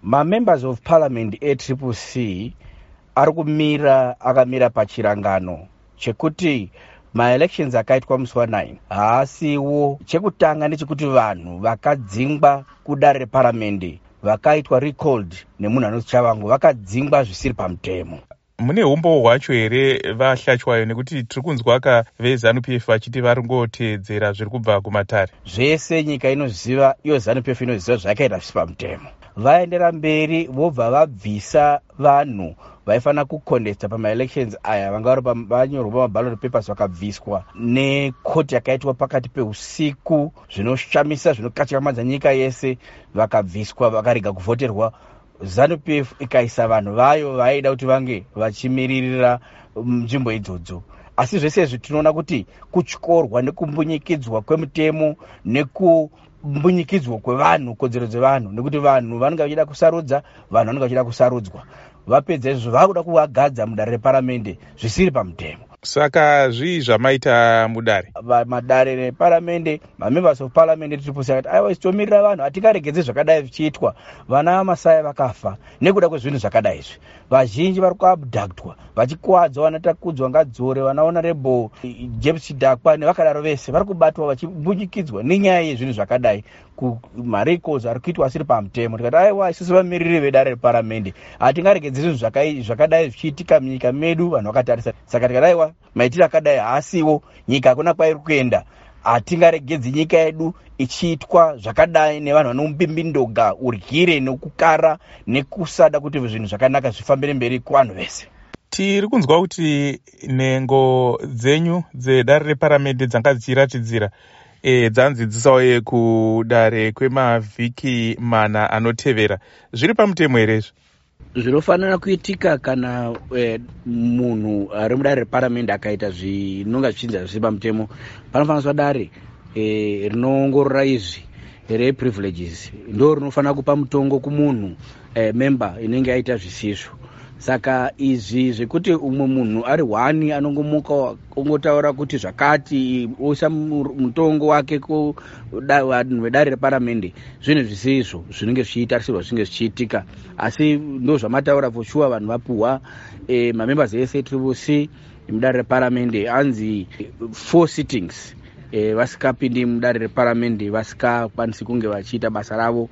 Mamembers of Parliament eTriple C ari kumira akamira pachirangano chekuti maelections akaitwa musi wa9 haasiwo. Chekutanga ndechekuti vanhu vakadzingwa kudare reparamende, vakaitwa recalled nemunhu anonzi Tshabangu, vakadzingwa zvisiri pamutemo. Mune umbowo hwacho here, VaHlatshwayo? Nekuti tiri kunzwa ka veZANU PF vachiti vari ngoteedzera zviri kubva kumatare. Zvese nyika inoziva, iyo ZANU PF inoziva zvakaita zvisi pamutemo. Vaendera mberi, vobva vabvisa vanhu vaifanira kucontesta pamaelections aya, vanga vari vanyorwa pamaballot papers, vakabviswa nekoti yakaitwa pakati peusiku. Zvinoshamisa, zvinokatyamadza nyika yese. Vakabviswa, vakarega kuvhoterwa. ZANU PF ikaisa vanhu vayo vaida kuti vange vachimiririra nzvimbo idzodzo. Asi zvese izvi tinoona kuti kutyorwa nekumbunyikidzwa kwemutemo, nekumbunyikidzwa kwevanhu, kodzero dzevanhu, nekuti vanhu vanenge vachida kusarudza, vanhu vanenge vachida kusarudzwa. Vapedza izvozvo, vakuda kuvagadza mudare reparamende zvisiri pamutemo. Saka zvii zvamaita mudare? Madare reparamende, mamembers of Parliament Triple C akati, "Aiwa, isi tomirira vanhu, hatingaregedzi zvakadai zvichiitwa." Vana vaMasaya vakafa nekuda kwezvinhu zvakadai izvi. Vazhinji vari kuabductwa, vachikuwadzwa, vana Takudzwa Ngadzore, vana Honorable James Chidhakwa nevakadaro vese vari kubatwa vachimbunyikidzwa nenyaya yezvinhu zvakadai, marecalls ari kuitwa asiri pamutemo. Tikati, "Aiwa, isusu vamiriri vedare reparamende hatingaregedzi zvinhu zvakadai zvichiitika munyika medu vanhu vakatarisa." Saka tikati, "Aiwa, maitiro akadai haasiwo. Nyika hakuna kwairi kuenda. Hatingaregedzi nyika yedu ichiitwa zvakadai nevanhu vanombimbindoga, uryire nekukara nekusada kuti zvinhu zvakanaka zvifambire mberi kuvanhu vese." Tiri kunzwa kuti nhengo dzenyu dzedare reparamende dzanga dzichiratidzira dzanzi dzisauye kudare kwemavhiki 4 anotevera. Zviri pamutemo here izvi? Zvinofanira kuitika kana munhu ari mudare reparamende akaita zvinonga zvichinzi zvisiri pamutemo, panofanira kuiswa dare rinoongorora izvi reprivileges, ndo rinofanira kupa mutongo kumunhu member inenge yaita zvisizvo. Saka izvi zvekuti umwe munhu ari one anongomuka ongotaura kuti zvakati, oisa mutongo wake kuvanhu vedare reparamende, zvinhu zvisizvo zvinenge zvichitarisirwa zvinge zvichiitika. Asi ndo zvamataura, for sure vanhu vapuhwa, mamembers ese Triple C mudare reparamende anzi four sittings vasikapindi mudare reparamende, vasikakwanisi kunge vachiita basa ravo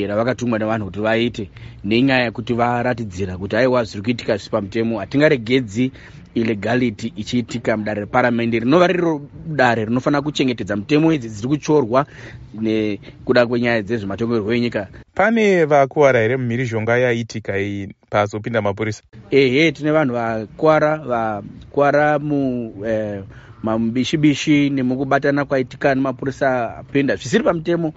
ravakatumwa nevanhu kuti vaite, nenyaya yekuti varatidzira kuti, aiwa, zviri kuitika zvisi pamutemo. Hatingaregedzi illegality ichiitika mudare reparamende, rinova riro dare rinofanira kuchengetedza mutemo idzi dziri kutyorwa nekuda kwenyaya dzezvematongerwo enyika. Pane vakuwara here mumhirizhonga yaitika iyi pazopinda mapurisa? Ehe, tine vanhu vakwara, vakwara mu mabishibishi nemukubatana kwaitika nemapurisa apinda zvisiri pamutemo.